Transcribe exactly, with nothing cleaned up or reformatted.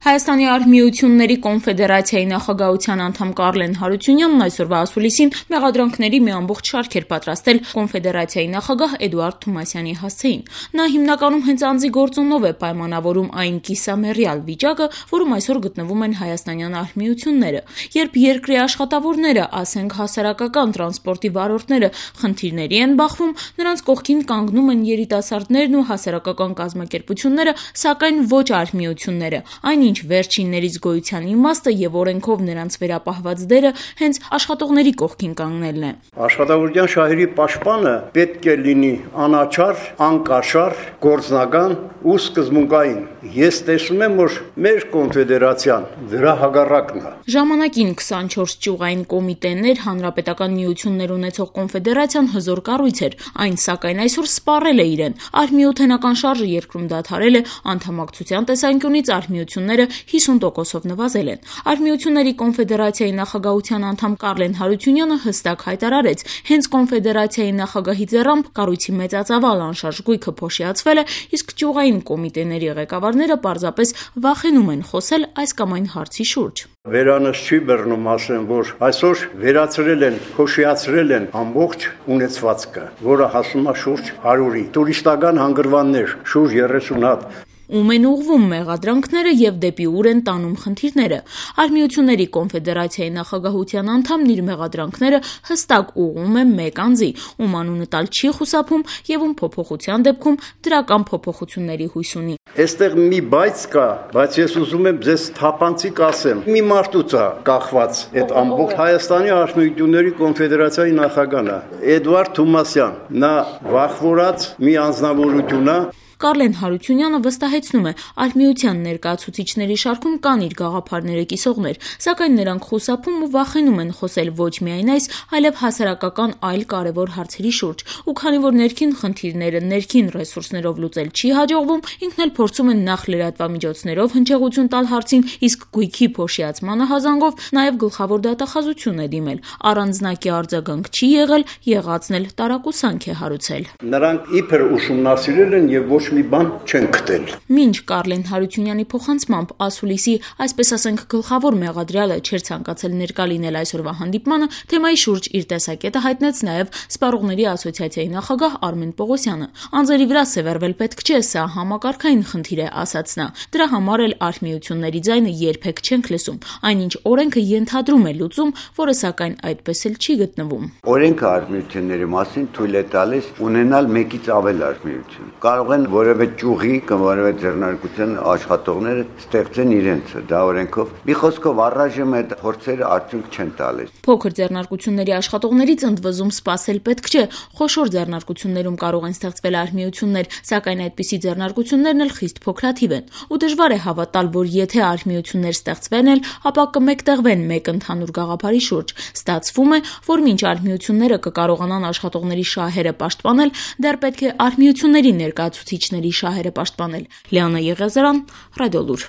Հայաստանի արհմիությունների կոնֆեդերացիայի նախագահության անդամ Կարլեն Հարությունյանն այսօրվա ասուլիսին մեղադրանքների մի ամբողջ շարք էր պատրաստել կոնֆեդերացիայի նախագահ Էդուարդ Թումասյանի հասցեին։ Նա հիմնականում հենց անձի գործոնով է պայմանավորում այն կիսամեռյալ վիճակը, որում այսօր գտնվում են հայաստանյան արհմիությունները, երբ երկրի աշխատավորները, ասենք հասարակական տրանսպորտի վարորդները խնդիրների են բախվում, նրանց կողքին կանգնում են երիտասարդներն ու հասարակական կազմակերպությունները, սակայն ոչ արհմիությունները, այնինչ վերջիններից գոյության իմաստը եւ օրենքով նրանց վերապահված դերը հենց աշխատողների կողքին կանգնելն է։ Աշխատավորության շահերի պաշտպանը պետք է լինի անաչառ, անկաշառ, գործնական ու սկզբունքային։ Ես տեսնում եմ, որ մեր կոնֆեդերացիան դրա հակառակն է։ Ժամանակին քսանչորս ճյուղային կոմիտեներ, հանրապետական միություններ ունեցող կոնֆեդերացիան հզոր կառույց էր, այն սակայն այսօր սպառել է իրեն։ Արհմիութենական շարժը երկրում դադարել է, անդամակցության տեսանկյունից արհմիությունները հիսուն տոկոսով նվազել են։ Արհմիությունների կոնֆեդերացիայի նախագահության անդամ Կարլեն Հարությունյանը հստակ հայտարարեց, հենց կոնֆեդերացիայի նախագահի ձեռամբ կառույցի մեծածավալ անշարժ գույքը փոշիացվել է, իսկ ճյուղային կոմիտեների ղեկավարները պարզապես վախենում են խոսել այս կամ այն հարցի շուրջ։ Վերանս չի բռնում ասեմ, որ այսօր վերացրել են, փոշիացրել են ամբողջ ունեցվածքը, որը հասնում է շուրջ հարյուրի, տուրիստական հանգրվաններ, շուրջ երեսուն հատ։ Ում են ուղղվում մեղադրանքները եւ դեպի ուր են տանում խնդիրները։ Արհմիությունների կոնֆեդերացիայի նախագահության անդամն իր մեղադրանքները հստակ ուղղում է մեկ անձի, ում անունը տալ չի խուսափում եւ ում փոփոխության դեպքում դրական փոփոխությունների հույս ունի։ Այստեղ մի բայց կա, բայց ես ուզում եմ ձեզ թափանցիկ ասեմ։ Մի մարդուց է կախված այդ ամբողջ Հայաստանի արհմիությունների կոնֆեդերացիայի նախագահն է, Էդուարդ Թումասյան։ Նա վախվորած մի անձնավորություն է։ Կարլեն Հարությունյանը վստահեցնում է, արհմիության ներկայացուցիչների շարքում կան իր գաղափարները կիսողներ, սակայն նրանք խուսափում ու վախենում են խոսել ոչ միայն այս, այլև հասարակական այլ կարևոր հարցերի շուրջ, ու քանի որ ներքին խնդիրները ներքին ռեսուրսներով լուծել չի հաջողվում, ինքն էլ փորձում են նախ լրատվամիջոցներով հնչեղություն տալ հարցին, իսկ գույքի փոշիացմանը հազանգով նաև գլխավոր դատախազություն է դիմել։ Առանձնակի արձագանք չի եղել, եղածն էլ տարակուսանք է հարուցել։ Նրանք իբր ուսումնասիրել են եւ ոչ մի բան չեն գտել։ Մինչ Կարլեն Հարությունյանի փոխանցմամբ ասուլիսի, այսպես ասենք, գլխավոր մեղադրյալը չէր ցանկացել ներկա լինել այսօրվա հանդիպմանը, թեմայի շուրջ իր տեսակետը հայտնեց նաև Սպառողների ասոցիացիայի նախագահ Արմեն Պողոսյանը։ Անձերի վրա սևեռվել պետք չէ, սա համակարգային խնդիր է, ասաց նա։ Դրա համար էլ արհմիությունների ձայնը երբեք չենք լսում, այնինչ օրենքը ենթադրում է լուծում, որը սակայն այդպես էլ չի գտնվում։ Օրենքը արհմիությունների մասին թույլ է տալիս ունենալ մեկից ավել արհմիություն։ Կարող են որևէ ճյուղի կամ որևէ ձեռնարկության աշխատողները ստեղծեն իրենցը, դա օրենքով։ Մի խոսքով առայժմ այդ փորձերը արդյունք չեն տալիս։ Փոքր ձեռնարկությունների աշխատողներից ընդվզում սпасել պետք չէ, խոշոր ձեռնարկություններում կարող են ստեղծվել արհմիություններ, սակայն այդպիսի ձեռնարկություններն էլ խիստ փոքրաթիվ են։ Ու դժվար է հավատալ, որ եթե արհմիություններ ստեղծվեն էլ, ապա կմեկտեղվեն մեկ ընդհանուր գաղափարի շուրջ։ Ստացվում է, որ մինչ արհմիությունները կկարողանան աշխատողների շահերը պաշտպանել, դեռ պետք է արհմիությունների ներկայացուցիչների շահերը պաշտպանել։ Լիանա Եղիազարյան, Ռադիոլուր։